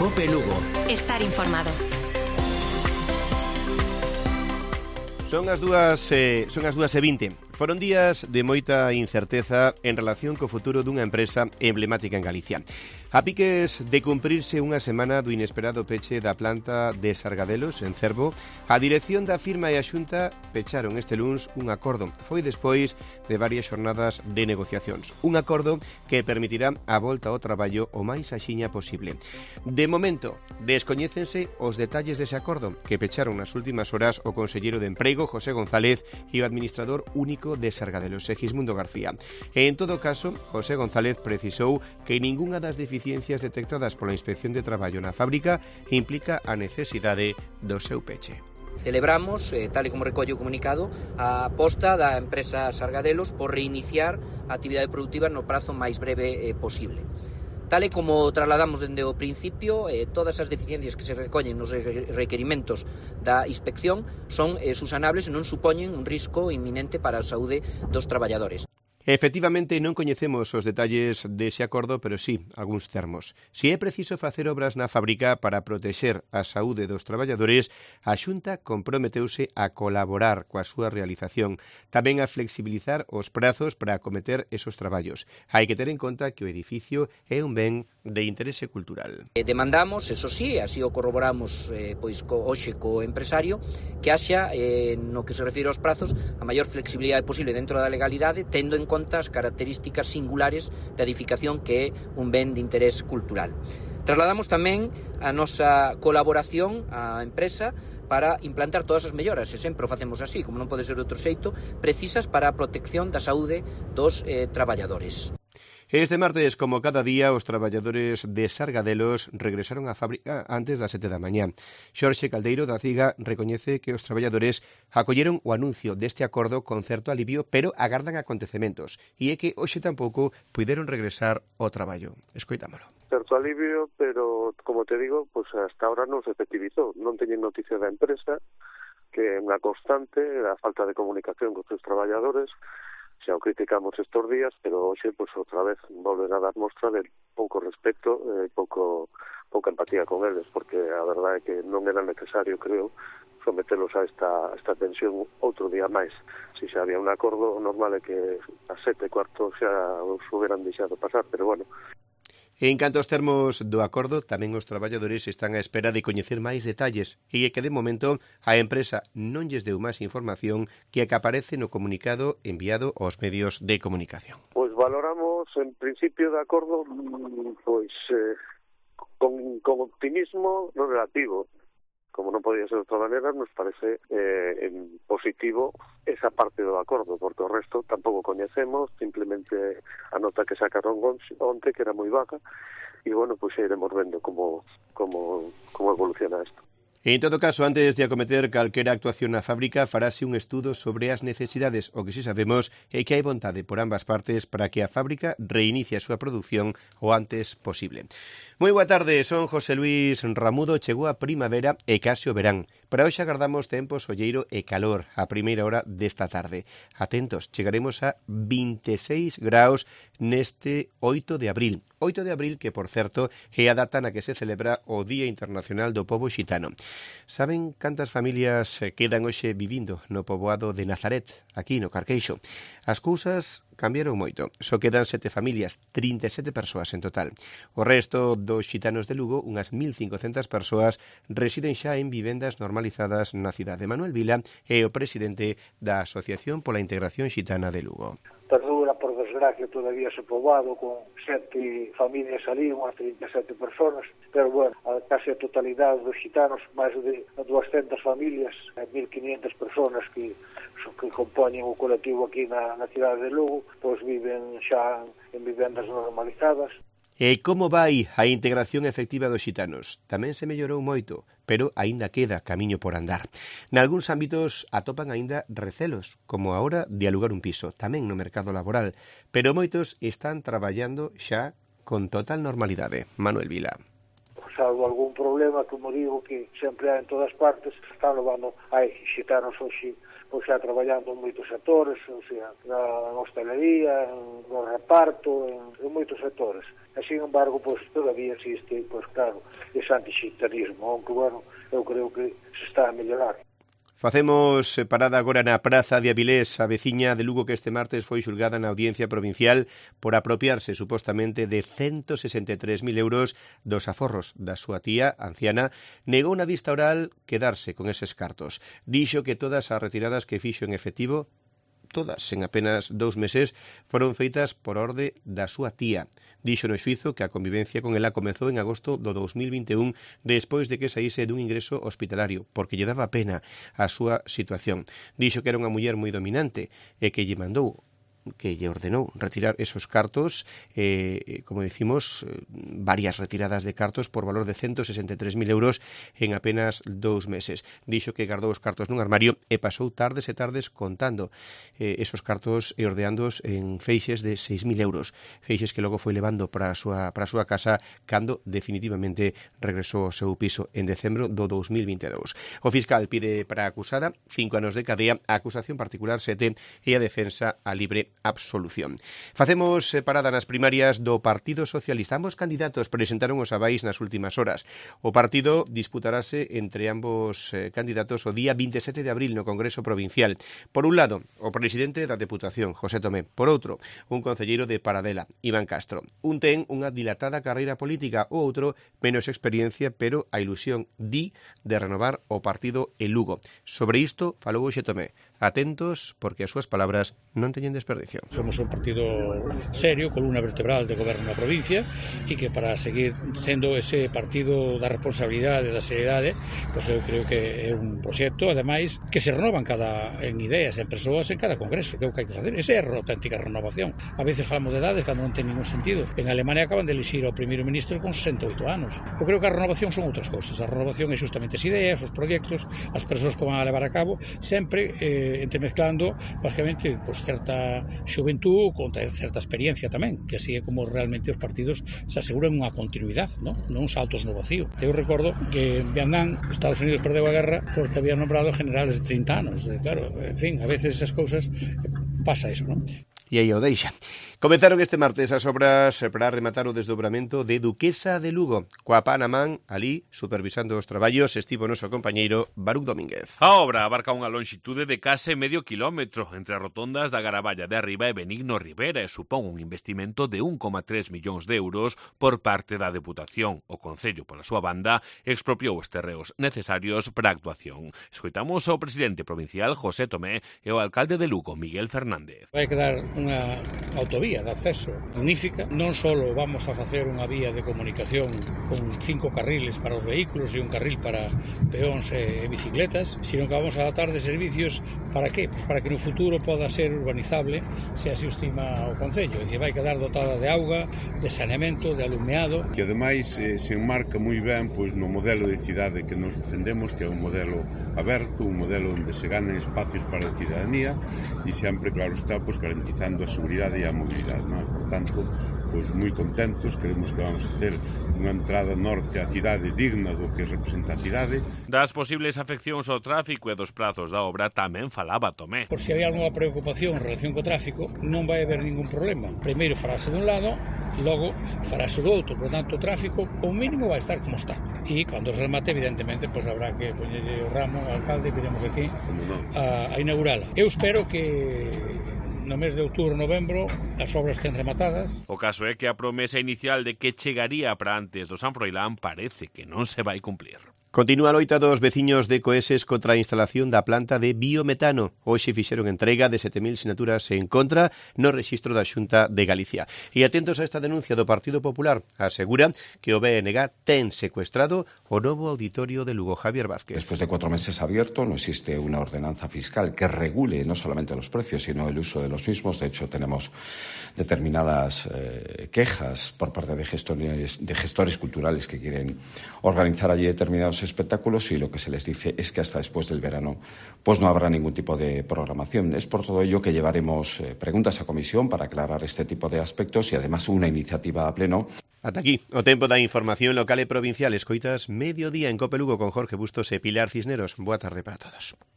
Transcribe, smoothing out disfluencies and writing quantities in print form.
COPE Lugo. Estar informado. Son as 2:20. Foron días de moita incerteza en relación co futuro dunha empresa emblemática en Galicia. A piques de cumprirse unha semana do inesperado peche da planta de Sargadelos, en Cervo, a dirección da firma e a Xunta pecharon este luns un acordo. Foi despois de varias xornadas de negociacións. Un acordo que permitirá a volta ao traballo o máis axiña posible. De momento, descoñécense os detalles dese acordo que pecharon nas últimas horas o conselleiro de Emprego, José González, e o administrador único de Sargadelos, Segismundo García. En todo caso, José González precisou que ningunha das deficiencias detectadas pola Inspección de Traballo na fábrica implica a necesidade do seu peche. Celebramos, tal e como recolle o comunicado, a aposta da empresa Sargadelos por reiniciar a actividade productiva no prazo máis breve posible. Tal e como trasladamos dende o principio, todas as deficiencias que se recollen nos requerimentos da inspección son susanables e non supoñen un risco inminente para a saúde dos traballadores. Efectivamente, non coñecemos os detalles dese acordo, pero sí algúns termos. Se é preciso facer obras na fábrica para protexer a saúde dos traballadores, a Xunta comprometeuse a colaborar coa súa realización, tamén a flexibilizar os prazos para acometer esos traballos. Hai que ter en conta que o edificio é un ben de interese cultural. Demandamos, eso sí, así o corroboramos hoxe co empresario, que haxa, no que se refire aos prazos, a maior flexibilidade posible dentro da legalidade, tendo en conta as características singulares da edificación que é un ben de interés cultural. Trasladamos tamén a nosa colaboración á empresa para implantar todas as melloras, e sempre o facemos así, como non pode ser de outro xeito, precisas para a protección da saúde dos traballadores. Este martes, como cada día, os traballadores de Sargadelos regresaron á fábrica antes das 7 da mañá. Xorxe Caldeiro da CIGA recoñece que os traballadores acolleron o anuncio deste acordo con certo alivio, pero agardan acontecementos, e é que hoxe tampouco puideron regresar ao traballo. Escoitámolo. Certo alivio, pero, como te digo, pues hasta ahora non se efectivizou. Non teñen noticia da empresa, que é unha constante, a falta de comunicación con os traballadores. Xa o criticamos estes días, pero hoxe, pues, outra vez volven a dar mostra de pouco respeto e pouca empatía con eles, porque a verdade é que non era necesario, creo, sometelos a esta tensión outro día máis. Se xa había un acordo, normal é que a 7:15 xa os hubieran deixado pasar, pero bueno. En canto aos termos do acordo, tamén os traballadores están á espera de coñecer máis detalles e que, de momento, a empresa non lles deu máis información que a que aparece no comunicado enviado aos medios de comunicación. Pois valoramos, en principio, de acordo, con optimismo no relativo. Como non podía ser de outra maneira, nos parece positivo esa parte do acordo, porque o resto tampouco coñecemos, simplemente a nota que sacaron onte, que era moi vaga, e, bueno, pois iremos vendo como evoluciona isto. En todo caso, antes de acometer calquera actuación na fábrica, farase un estudo sobre as necesidades. O que si sabemos é que hai vontade por ambas partes para que a fábrica reinicie a súa produción o antes posible. Moi boa tarde, son José Luis Ramudo. Chegou a primavera e case o verán. Para hoxe agardamos tempo solleiro e calor a primeira hora desta tarde. Atentos, chegaremos a 26 graus neste 8 de abril. 8 de abril que, por certo, é a data na que se celebra o Día Internacional do Pobo Xitano. Saben cantas familias quedan hoxe vivindo no poboado de Nazaret, aquí no Carqueixo? As cousas cambiaron moito. Só quedan 7 familias, 37 persoas en total. O resto dos xitanos de Lugo, unhas 1.500 persoas, residen xa en vivendas normalizadas na cidade. Manuel Vila é o presidente da Asociación pola Integración Xitana de Lugo. Perdura, por desgracia, todavía ese poboado con 7 familias ali, unhas 37 personas, pero, bueno, case a totalidade dos xitanos, máis de 200 familias, 1.500 personas que compoñen o colectivo aquí na cidade de Lugo, pois viven xa en vivendas normalizadas. E como vai a integración efectiva dos xitanos? Tamén se mellorou moito, pero aínda queda camiño por andar. Nalgúns ámbitos atopan aínda recelos, como a hora de alugar un piso, tamén no mercado laboral, pero moitos están traballando xa con total normalidade. Manuel Vila. salvo algún problema, como digo, que sempre hai en todas partes, están levando, hai xitanos hoxe, pois xa traballando en moitos sectores, o sea, na hostelería, no reparto, en moitos sectores. E, sin embargo, pois todavía existe, pois claro, ese anti-xitanismo, aunque, bueno, eu creo que se está a mellorar. Facemos parada agora na Praza de Avilés, a veciña de Lugo que este martes foi xulgada na Audiencia Provincial por apropiarse supostamente de 163.000 euros dos aforros da súa tía anciana. Negou na vista oral quedarse con eses cartos. Dixo que todas as retiradas que fixo en efectivo, todas en apenas 2 meses, foron feitas por orde da súa tía. Dixo no xuízo que a convivencia con ela comezou en agosto do 2021 despois de que saíse dun ingreso hospitalario, porque lle daba pena a súa situación. Dixo que era unha muller moi dominante e que lle mandou, que lle ordenou retirar esos cartos, como decimos, varias retiradas de cartos por valor de 163.000 euros en apenas 2 meses. Dixo que guardou os cartos nun armario e pasou tardes e tardes contando esos cartos e ordeándoos en feixes de 6.000 euros. Feixes que logo foi levando para a súa casa cando definitivamente regresou ao seu piso en decembro do 2022. O fiscal pide para a acusada 5 anos de cadea, a acusación particular 7 e a defensa a libre absolución. Facemos parada nas primarias do Partido Socialista. Ambos candidatos presentaron os avais nas últimas horas. O partido disputarase entre ambos candidatos o día 27 de abril no Congreso Provincial. Por un lado, o presidente da Deputación, José Tomé. Por outro, un concelleiro de Paradela, Iván Castro. Un ten unha dilatada carreira política, o outro menos experiencia, pero a ilusión de renovar o partido en Lugo. Sobre isto falou José Tomé. Atentos, porque as súas palabras non teñen desperdicio. Somos un partido serio, columna vertebral de goberno na provincia, e que para seguir sendo ese partido da responsabilidade, da seriedade, pois eu creo que é un proxecto, ademais, que se renovan en ideas, en persoas, en cada congreso, que é o que hai que facer. Esa é a auténtica renovación. A veces falamos de edades cando non ten ningún sentido. En Alemania acaban de elixir ao primeiro ministro con 68 anos. Eu creo que a renovación son outras cousas. A renovación é justamente as ideas, os proxectos, as persoas que van a levar a cabo, sempre entremezclando, basicamente, pues, certa xuventud con certa experiencia tamén, que así é como realmente os partidos se aseguran unha continuidade, non saltos no vacío. Eu recordo que en Vietnam, Estados Unidos perdeu a guerra porque habían nombrado generales de 30 anos. Claro, en fin, a veces esas cousas pasa eso, non? E aí o deixa. Comenzaron este martes as obras para rematar o desdobramento de Duquesa de Lugo. Coa pan a man, ali, supervisando os traballos, estivo o noso compañeiro Baruch Domínguez. A obra abarca unha lonxitude de case medio kilómetro entre as rotondas da Garaballa de Arriba e Benigno Rivera e supón un investimento de 1,3 millóns de euros por parte da Deputación. O Concello, pola súa banda, expropiou os terreos necesarios para a actuación. Escoitamos ao presidente provincial José Tomé e ao alcalde de Lugo, Miguel Fernández. Vai quedar unha autovía de acceso magnífica. Non só vamos a facer unha vía de comunicación con 5 carriles para os vehículos e un carril para peóns e bicicletas, sino que vamos a adaptar de servicios para que? Pues para que no futuro poda ser urbanizable, se así o estima o Concello. É dicir, vai quedar dotada de auga, de saneamento, de alumeado. Que ademais se enmarca moi ben pois no modelo de cidade que nos defendemos, que é un modelo aberto, un modelo onde se ganan espacios para a cidadanía e sempre, claro está, pois garantizando a seguridade e a mobilidade, non? Por tanto, pois moi contentos, queremos que vamos a ter unha entrada norte á cidade digna do que representa a cidade. Das posibles afeccións ao tráfico e dos prazos da obra tamén falaba Tomé. Por se había alguna preocupación en relación co tráfico, non vai haber ningún problema. Primeiro farase dun lado, logo farase do outro, por tanto o tráfico como mínimo vai estar como está. E cando se remate, evidentemente, pois habrá que poñerlle o ramo ao alcalde, viremos aquí a inaugurala. Eu espero que no mes de outubro, novembro, as obras estén rematadas. O caso é que a promesa inicial de que chegaría para antes do San Froilán parece que non se vai cumplir. Continúa a loita dos veciños de Coeses contra a instalación da planta de biometano. Hoxe fixeron entrega de 7.000 sinaturas en contra no rexistro da Xunta de Galicia. E atentos a esta denuncia do Partido Popular, asegura que o BNG ten secuestrado o novo auditorio de Lugo. Javier Vázquez. Después de 4 meses abierto, no existe una ordenanza fiscal que regule no solamente los precios, sino el uso de los mismos. De hecho, tenemos determinadas quejas por parte de gestores culturales que quieren organizar allí determinados espectáculos, y lo que se les dice es que hasta después del verano pues no habrá ningún tipo de programación. Es por todo ello que llevaremos preguntas a comisión para aclarar este tipo de aspectos y además una iniciativa a pleno. Ata aquí o tempo da información local e provincial. Escoitas Mediodía en Cope Lugo con Jorge Bustos e Pilar Cisneros. Boa tarde para todos.